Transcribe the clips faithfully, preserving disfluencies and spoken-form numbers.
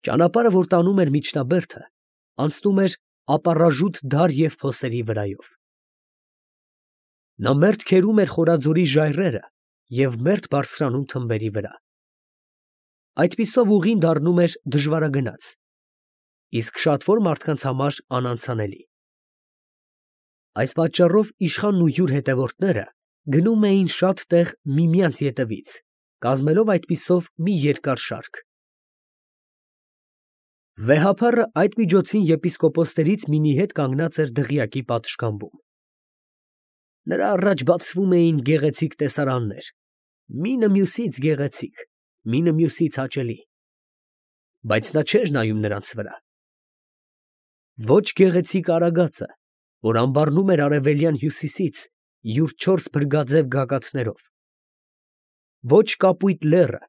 Ճանապարհը, որ տանում էր միջնաբերդը, անցնում էր ապառաժութ դար և փոսերի վրայով։ Նա մերթ քերում էր խորաձորի ժայռերը և մերթ բարձրանում թմբերի վրա։ Այդպիսով ուղին դառնում էր դժվարագնաց, իսկ շատվոր մարդկանց համար անանցանելի։ Այս պատճառով իշխանն ու յուր հետևորդները գնում էին շատ տեղ միմյանց ետևից, կազմելով այդպիսով մի երկար շարք։ Վեհափառը այդ միջոցին եպիսկոպոսներից մինի հետ կանգնած էր դղյակի պատշգամբում։ Նրա առաջ բացվում էին գեղեցիկ տեսարաններ, մինը մյուսից գեղեցիկ, մինը մյուսից հաճելի, բայց նա չէր նայում նրանց վրա։ Ոչ գեղեցիկ արագածը, որ ամբառնում էր արևելյան հյուսիսից յուր չորս փրկաձև գագաթներով, ոչ կապույտ լեռը,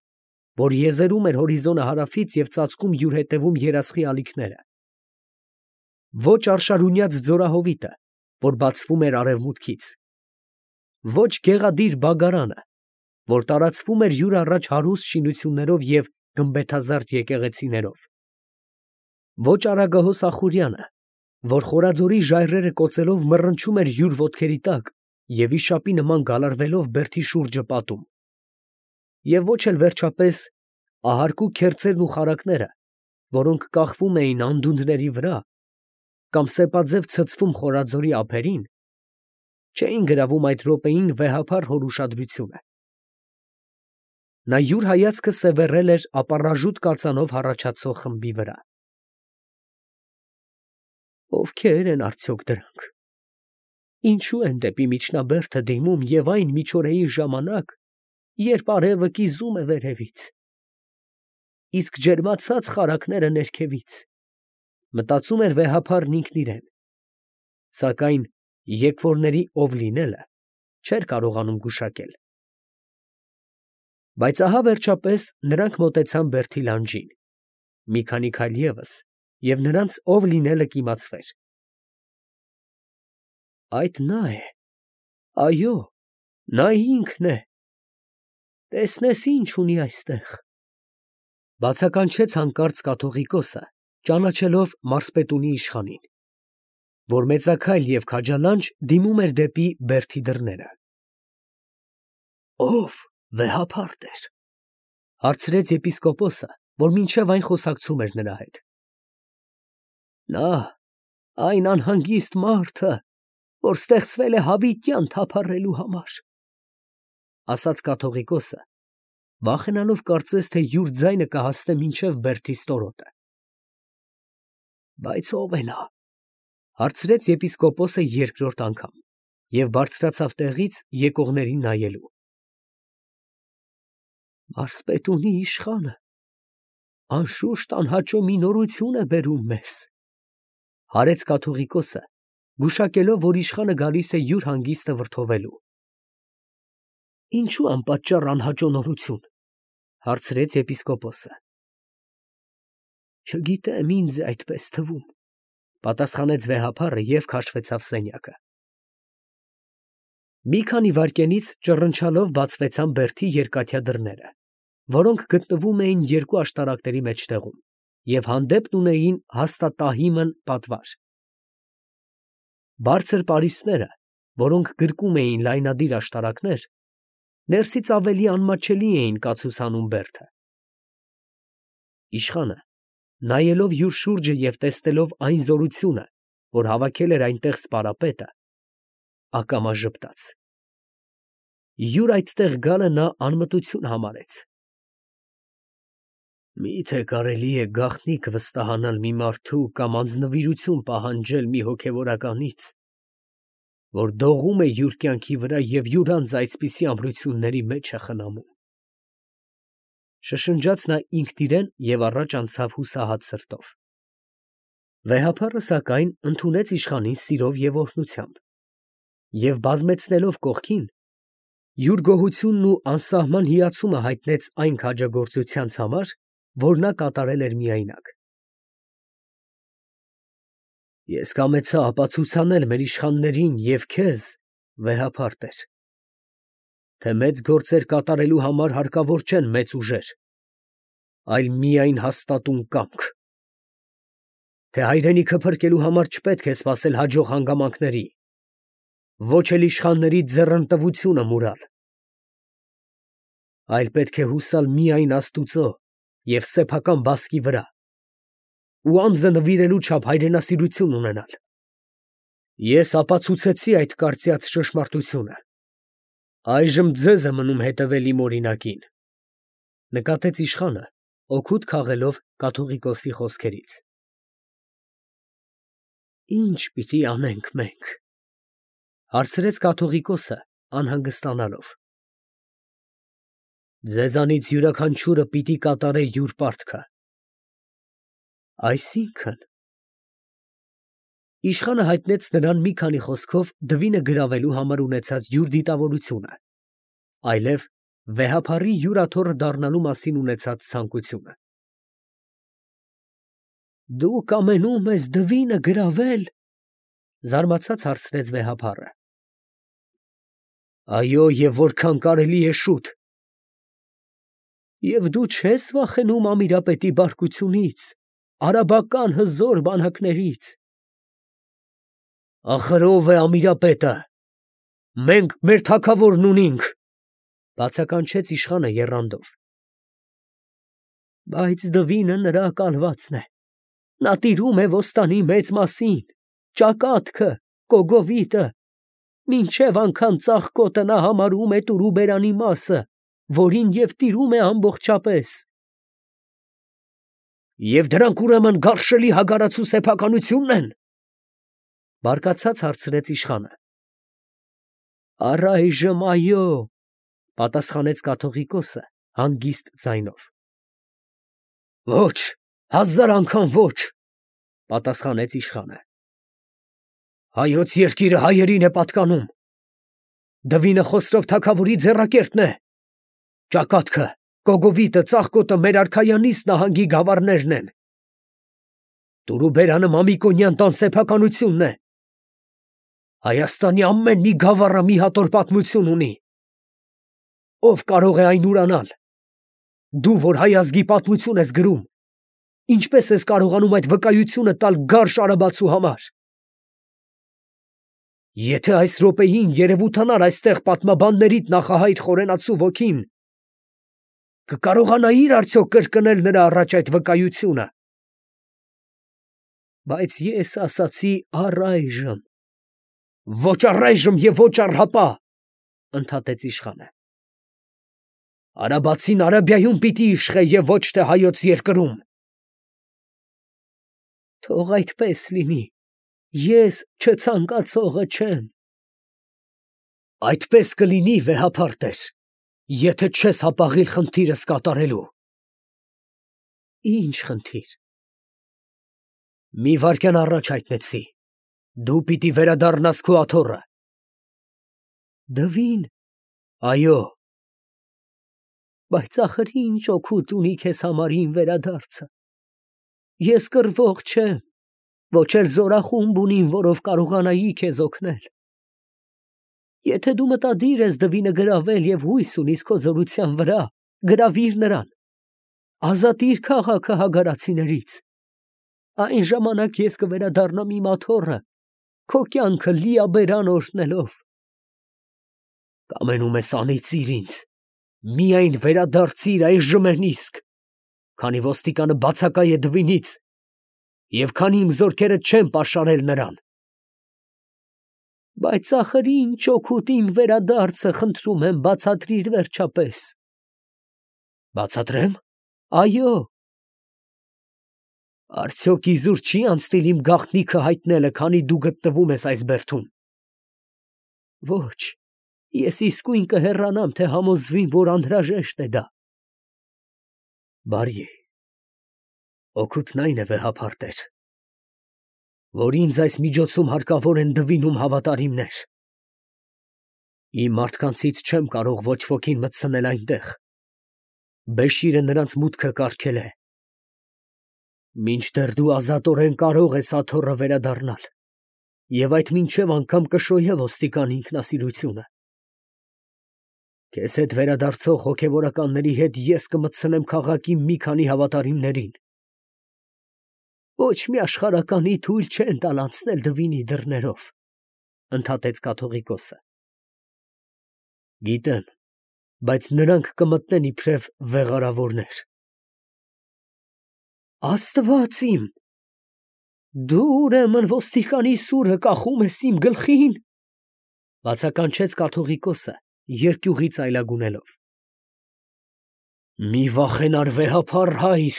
որ եզերում էր հորիզոնը հարավից և ծածկում յուր ետևում երասխի ալիքները, ոչ արշարունյաց ձորահովիտը, որ բացվում էր արևմուտքից, ոչ գեղադիր բագարանը, որ տարածվում էր յուր առաջ հարուստ շինություններով և գմբեթազարդ եկեղեցիներով, ոչ արագահոս Ախուրյանը, որ խորաձորի ժայռերը կոծելով մռնչում էր յուր ոտքերի տակ և վիշապի նման գալարվելով բերդի շուրջը պատում, և ոչ էլ վերջապես ահարկու քերծերն ու խարակները, որոնք կախվում էին անդունդների վրա կամ սեպաձև ցցվում խորաձորի ափերին, չէին գրավում այդ րոպեին վեհափառ հոր ուշադրությունը։ Նա յուր հայացքը սևեռել էր ապառաժութ կածանով հառաչացող խմբի վրա։ Ովքե՞ր են արդյոք դրանք, ինչո՞ւ են դեպի միջնաբերդը դիմում և այն միջօրեի ժամանակ, երբ արևը կիզում է վերևից, իսկ ջերմացած խարակները ներքևից, մտածում էր վեհափառն ինքն իրեն, սակայն եկվորների ով լինելը չէր կարողանում գուշակել։ Բայց ահա վերջապես նրանք մոտեցան բերդի լանջին, մի քանի քայլ ևս, և նրանց ով լինելը կիմացվեր։ Այդ նա է, այո, նա ինքն է, տեսնես ինչ ունի այստեղ, ֊ բացականչեց հանկարծ կաթողիկոսը, ճանաչելով մարզպետունի իշխանին, որ մեծաքայլ և քաջալանջ դիմում էր դեպի բերդի դռները։ ֊ Ո՞վ, վեհափառ տեր, ֊ հարցրեց եպիսկոպոսը, որ մինչև այն խոսակցում էր նրա հետ։ ֊ Նա, այն անհանգիստ մարդը, որ ստեղծվել է հավիտյան թափառելու համար, ֊ ասաց կաթողիկոսը, վախենալով կարծես թե յուր ձայնը կհասնե մինչև բերդի ստորոտը։ ֊ Բայց ո՞վ է նա, ֊ հարցրեց եպիսկոպոսը երկրորդ անգամ և բարձրացավ տեղից եկողներին նայելու։ ֊ Մարզպետունի իշխանը, անշուշտ անհաճո մի նորություն է բերում մեզ, ֊ հարեց կաթողիկոսը, գուշակելով, որ իշխանը գալիս է յուր հանգիստը վրդովելու։ ֊ Ինչո՞ւ անպատճառ անհաճո նորություն, ֊ հարցրեց եպիսկոպոսը։ ֊ Չգիտեմ, ինձ է այդպես թվում, ֊ պատասխանեց վեհափառը և քաշվեցավ սենյակը։ Մի քանի վայրկյանից ճռնչալով բացվեցան բերդի երկաթյա դռները, որոնք գտնվում էին երկու աշտարակների մեջտեղում և հանդեպքն ունեին հաստատահիմն պատվար։ Բարձր պարիսպները, որոնք գրկում էին լայնադիր աշտարակներ, ներսից ավելի անմատչելի էին կացուցանում բերդը։ Իշխանը, նայելով յուր շուրջը և տեսնելով այն զորությունը, որ հավաքել էր այնտեղ սպարապետը, ակամա ժպտաց։ Յուր այդտեղ գալը նա անմտություն համարեց։ Մի՞թե կարելի է գաղտնիք վստահանալ մի մարդու կամ անձնվիրություն պահանջել մի հոգևորականից, որ դողում է յուր կյանքի վրա և յուր անձը այսպիսի ամրությունների մեջ է խնամում, ֊ շշնջաց նա ինքն իրան և առաջ անցավ հուսահատ սրտով։ Վեհափառը, սակայն, ընդունեց իշխանին սիրով և օրհնությամբ և, բազմեցնելով կողքին, յուր գոհությունն ու անսահման հիացումը հայտնեց այն քաջագործությանց համար, որ նա կատարել էր միայնակ։ Ես կամեցա ապացուցանել մեր իշխաններին և քեզ, վեհափառ տեր, թե մեծ գործեր կատարելու համար հարկավոր չեն մեծ ուժեր, այլ միայն հաստատուն կամք։ Թե հայրենիքը փրկելու համար չպետք է սպասել հաջող հանգամանքների, ոչ էլ իշխանների ձեռնտվությունը մուրալ, այլ պետք է հուսալ միայն Աստուծո և սեփական բասկի վրա ու անձը նվիրելու չափ հայրենասիրություն ունենալ։ Ես ապացուցեցի այդ կարծյաց ճշմարտությունը, այժմ ձեզ է մնում հետևել իմ օրինակին, նկատեց իշխանը, օգուտ քաղելով կաթողիկոսի խոսքերից։ Ի՞նչ պիտի անենք մենք, հարցրեց կաթողիկոսը անհանգստանալով։ Ձեզանից յուրաքանչյուրը պիտի կատարե յուր պարտքը։ Այսինքն… Իշխանը հայտնեց նրան մի քանի խոսքով դվինը գրավելու համար ունեցած յուր դիտավորությունը, այլև վեհափառի յուրաթոռը դառնալու մասին ունեցած ցանկությունը։ Դու կամենում ես դվինը գրավել, զարմացած հարցրեց վեհափառը։ Այո, և որքան կարելի է շուտ։ Եվ դու չես վախենում Ամիրապետի բարկությունից, արաբական հզոր բանակներից։ Ախր ո՞վ է Ամիրապետը, մենք մեր թագավորն ունինք, բացականչեց իշխանը եռանդով։ Բայց դվինը նրա կալվածն է, նա տիրում է ոստանի մեծ մասին, ճակատքը, կոգովիտը, մինչև անգամ ծաղկոտը նա համարում է տուրուբերանի մասը, որին և տիրում է ամբողջապես։ Եվ դրանք ուրեմն գարշելի հագարացու սեփականությունն են, բարկացած հարցրեց իշխանը։ Առայժմ այո, պատասխանեց կաթողիկոսը հանգիստ ձայնով։ Ոչ, հազար անգամ ոչ, պատասխանեց իշխանը։ Հայոց երկիրը հայերին է պատկանում, դվինը Խոսրով թագավորի ձեռակերտն է, ճակատքը, կոգովիտը, ծաղկոտը մեր արքայանից նահանգի գավառներն են, տուրուբերանը Մամիկոնյան տան սեփականությունն է, Հայաստանի ամեն մի գավառը մի հատոր պատմություն ունի, ով կարող է այն ուրանալ, դու, որ հայ ազգի պատմություն ես գրում, ինչպես ես կարողանում այդ վկայությունը տալ գարշ արաբացու համար։ Եթե այս րոպեին երևութանար այստեղ պատմաբաններիդ նախահայտ խորենացու ոգին, կկարողանայիր արդյոք կրկնել նրա առաջ այդ վկայությունը։ Բայց ես ասացի առայժմ։ Ոչ առայժմ և ոչ առհապա, ընդհատեց իշխանը։ Արաբացին Արաբիայում պիտի իշխե և ոչ թե հայոց երկրում։ Թող այդպես լինի, ես չցանկացողը չեմ։ Այդպես կլինի, վեհափառ տեր, եթե չես հապաղիլ խնդիրս կատարելու։ Ի՞նչ խնդիր։ Մի վայրկյան առաջ հայտնեցի, դու պիտի վերադառնաս քո աթոռը։ Դվին։ Այո։ Բայց ախր ինչ օգուտ ունի քեզ համար իմ վերադարձը։ Ես կռվող չեմ, ոչ էլ զորախումբ ունիմ, որով կարողանայի քեզ օգնել։ Եթե դու մտադիր ես դվինը գրավել և հույս ունիս քո զորության վրա, գրավիր նրան, ազատիր քաղաքը հագարացիներից, այն ժամանակ ես կվերադառնամ իմ աթոռը, քո կյանքը լիաբերան օրհնելով։ Կամենում ես անիծիր ինձ, միայն վերադարձիր այժմեն իսկ, քանի ոստիկանը բացակայ է դվինից, և քանի իմ զորքերը չեն պաշարել նրան։ Բայց ախր ինչ օգուտ իմ վերադարձը, խնդրում եմ, բացատրիր վերջապես։ Բացատրեմ։ Այո։ Արդյոք իզուր չի անցնիլ իմ գաղտնիքը հայտնելը, քանի դու գտնվում ես այս բերդում։ Ոչ, ես իսկույն կհեռանամ, թե համոզվին, որ անհրաժեշտ է դա։ Բարի, օգուտն այն է, վեհափառ տեր, որ ինձ այս միջոցում հարկավոր են դվինում հավատարիմներ։ Իմ մարդկանցից չեմ կարող ոչ ոքին մտցնել այնտեղ, Բեշիրը նրանց մուտքը կարգել է։ Մինչդեռ դու ազատորեն կարող ես աթոռը վերադառնալ, և այդ մինչև անգամ կշոյե ոստիկանի ինքնասիրությունը։ Քեզ հետ վերադարձող հոգևորականների հետ ես կմտցնեմ քաղաքի մի քանի հավատարիմներին։ Ոչ մի աշխարհականի թույլ չեն տալ անցնել Դվինի դռներով, ընդհատեց կաթողիկոսը։ Գիտեմ, բայց նրանք կմտնեն իբրև վեղարավորներ։ Աստված իմ, դու ուրեմն ոստիկանի սուրը կախում ես իմ գլխին, բացականչեց կաթողիկոսը, երկյուղից այլագունելով։ Մի վախենար վեհափառ հայր,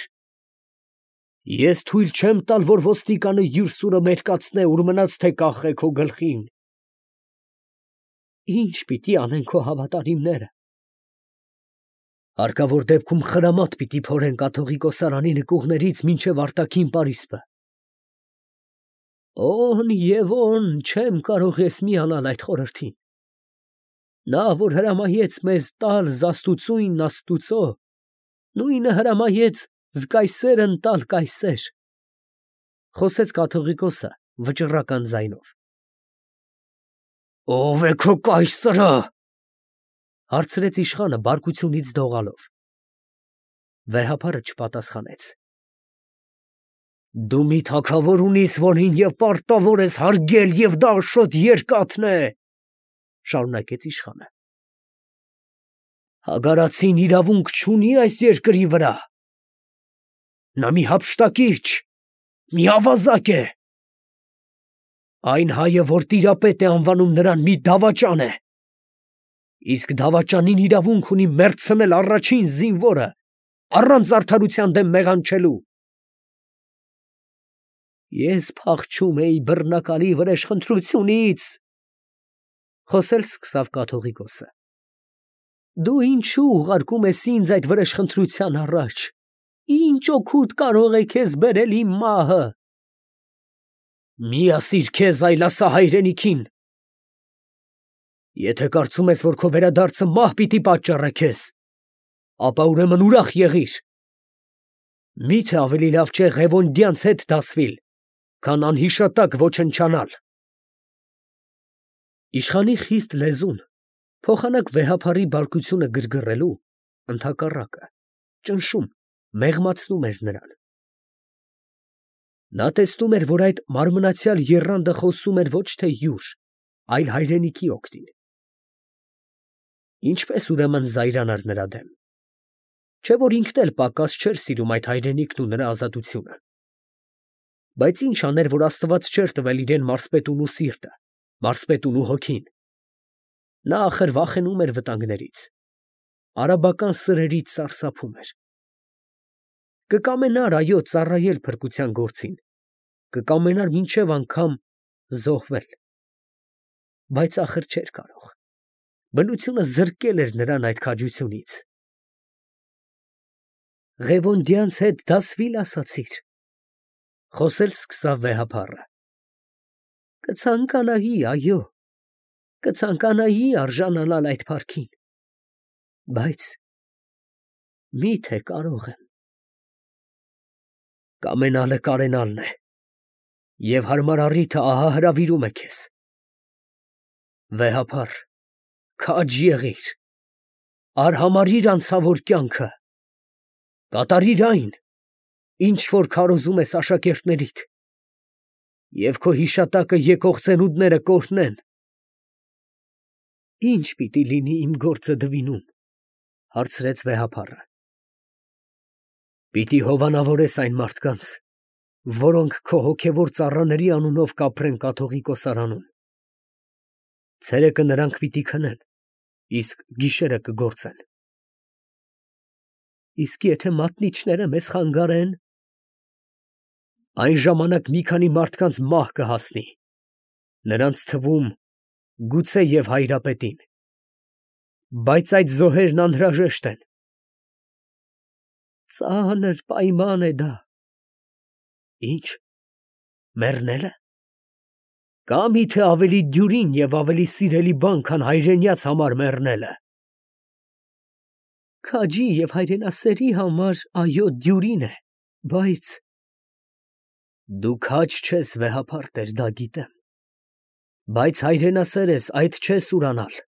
ես թույլ չեմ տալ, որ ոստիկանը յուր սուրը մերկացնե, ուր մնաց թե կախե քո գլխին։ Ինչ պիտի անեն քո հավատարիմները։ Հարկավոր դեպքում խրամատ պիտի փորեն կաթողիկոսարանի նկուղներից մինչև արտաքին պարիսպը։ Օն և օն չեմ կարող ես միանալ այդ խորհրդին։ Նա, որ հրամայեց մեզ տալ զաստուցույնն Աստուծո, նույնը հրամայեց զգայսերն տալ կայսեր, խոսեց կաթողիկոսը վճռական ձայնով։ Ո՞վ է քո կայսրը, հարցրեց իշխանը բարկությունից դողալով։ Վեհափառը չպատասխանեց։ Դու մի թագավոր ունիս, որին և պարտավոր ես հարգել, և դա աշոտ երկաթն է, շարունակեց իշխանը։ Հագարացին իրավունք չունի այս երկրի վրա։ Նա մի հափշտակիչ, մի ավազակ է։ Այն հայը, որ տիրապետ է անվանում, նրան մի դավաճան է։ Իսկ դավաճանին իրավունք ունի մեռցնել առաջին զինվորը, առանց արդարության դեմ մեղանչելու։ Ես փախչում էի բռնակալի վրեժխնդրությունից, խոսել սկսավ կաթողիկոսը։ Դու ինչու ուղարկում ես ինձ այդ վրեժխնդրության առաջ։ Ինչ օգուտ կարող է քեզ բերել իմ մահը։ Մի ասիր քեզ, այլ ասա հայրենիքին։ Եթե կարծում ես, որ քո վերադարձը մահ պիտի պատճառե քեզ, ապա ուրեմն ուրախ եղիր։ Միթե ավելի լավ չէ Ղևոնդյանց հետ դասվել, քան անհիշատակ ոչնչանալ։ Իշխանի խիստ լեզուն, փոխանակ վեհափառի բարկությունը գրգռելու, ընդհակառակը, ճնշում, մեղմացնում էր նրան։ Նա տեսնում էր, որ այդ մարմնացյալ եռանդը խոսում էր ոչ թե յուր, այլ հայրենիքի օգտին։ Ինչպես ուրեմն զայրանար նրա դեմ։ Չէ՞ որ ինքն էլ պակաս չէր սիրում այդ հայրենիքն ու նրա ազատությունը։ Բայց ինչ աներ, որ Աստված չէր տվել իրեն մարսպետունու սիրտը, մարսպետունու հոգին։ Նա ախր վախենում էր վտանգներից, արաբական սրերից սարսափում էր։ Կկամենար, այո, ծառայել փրկության գործին, կկամենար մինչև անգամ զոհվել, բայց ախր չէր կարող։ Բնությունը զրկել էր նրան այդ քաջությունից։ Ղևոնդյանց հետ դասվի՞լ ասացիր, խոսել սկսավ վեհափառը։ Կցանկանայի, այո, կցանկանայի արժանանալ այդ փառքին, բայց միթե կարող եմ։ Կամենալը կարենալն է, և հարմար առիթը ահա հրավիրում է քեզ։ Վեհափառ, քաջ եղիր, արհամարհիր անցավոր կյանքը, կատարիր այն, ինչ որ քարոզում ես աշակերտներիդ, և քո հիշատակը եկող ծնունդները կօրհնեն։ Ի՞նչ պիտի լինի իմ գործը Դվինում, հարցրեց վեհափառը։ Պիտի հովանավորես այն մարդկանց, որոնք քո հոգևոր ծառաների անունով կապրեն կաթողիկոսարանում։ Ցերեկը նրանք պիտի քնեն, իսկ գիշերը կգործեն։ Իսկ եթե մատնիչները մեզ խանգարեն, այն ժամանակ մի քանի մարդկանց մահ կհասնի, նրանց թվում գուցե և հայրապետին, բայց այդ զոհերն անհրաժեշտ են։ Ծանր պայման է դա։ Ինչ, մեռնելը։ Կա՞ միթե ավելի դյուրին և ավելի սիրելի բան, քան հայրենյաց համար մեռնելը։ Քաջի և հայրենասերի համար, այո, դյուրին է, բայց… Դու քաջ չես, վեհափառ տեր, դա գիտեմ, բայց հայրենասեր ես, այդ չես ուրանալ։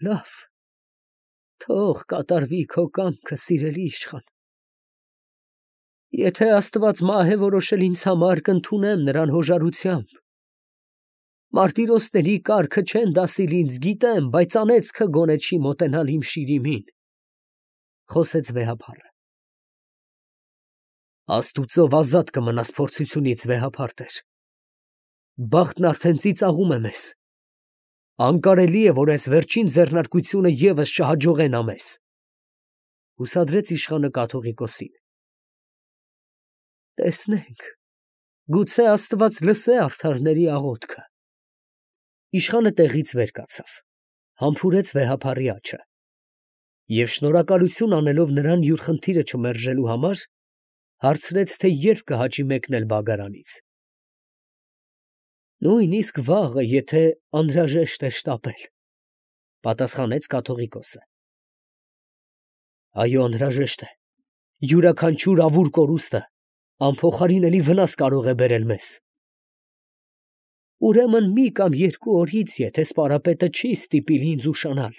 Լավ, թող կատարվի քո կամքը, սիրելի իշխան։ Եթե Աստված մահ է որոշել ինձ համար, կընդունեմ նրան հոժարությամբ։ Մարտիրոսների կառքը չեն դասիլ ինձ, գիտեմ, բայց անեծքը գոնե չի մոտենալ իմ շիրիմին, խոսեց վեհափառը։ Աստուծով ազատ կմնաս փորձությունից, վեհափառ տեր։ Բախտն արդեն ծիծաղում է մեզ։ Անկարելի է, որ այս վերջին ձեռնարկությունը ևս չհաջողենա մեզ, հուսադրեց իշխանը կաթողիկոսին։ Տեսնենք, գուցե Աստված լսե արդարների աղոթքը։ Իշխանը տեղից վեր կացավ, համբուրեց վեհափառի աջը և շնորհակալություն անելով նրան յուր խնդիրը չմերժելու համար, հարցրեց, թե երբ կհաճի մեկնել բագարանից։ Նույնիսկ վաղը, եթե անհրաժեշտ է շտապել, պատասխանեց կաթողիկոսը։ Այո, անհրաժեշտ է, յուրաքանչյուր ավուր կորուստը անփոխարինելի վնաս կարող է բերել մեզ։ Ուրեմն մի կամ երկու օրից, եթե սպարապետը չի ստիպիլ ինձ ուշանալ։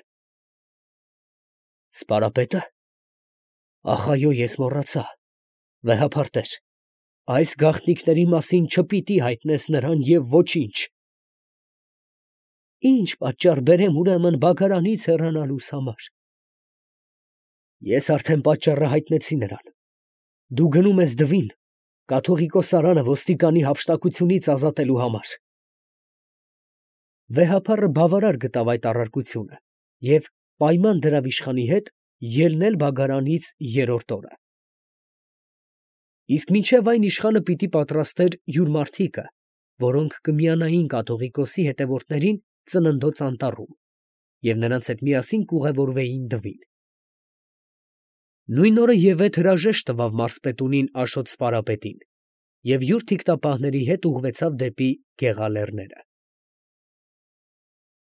Սպարապետը։ Ախ, այո, ես մոռացա, վեհափառ տեր, այս գաղտնիքների մասին չպիտի հայտնես նրան և ոչինչ։ Ինչ պատճառ բերեմ ուրեմն բագարանից հեռանալուս համար։ Ես արդեն պատճառը հայտնեցի նրան։ Դու գնում ես Դվին, կաթողիկոսարանը ոստիկանի հափշտակությունից ազատելու համար։ Վեհափառը բավարար գտավ այդ առարկությունը և պայման դրավ իշխանի հետ ելնել բագարանից երրորդ օրը։ Իսկ մինչև այն իշխանը պիտի պատրաստեր յուր մարդիկը, որոնք կմիանային կաթողիկոսի հետևորդներին Ծննդոց անտառում և նրանց հետ միասին կուղևորվեին Դվին։ Նույն օրը ևեթ հրաժեշտ տվավ մարզպետունին Աշոտ սպարապետին և յուր թիկնապահների հետ ուղղվեցավ դեպի Գեղալեռները։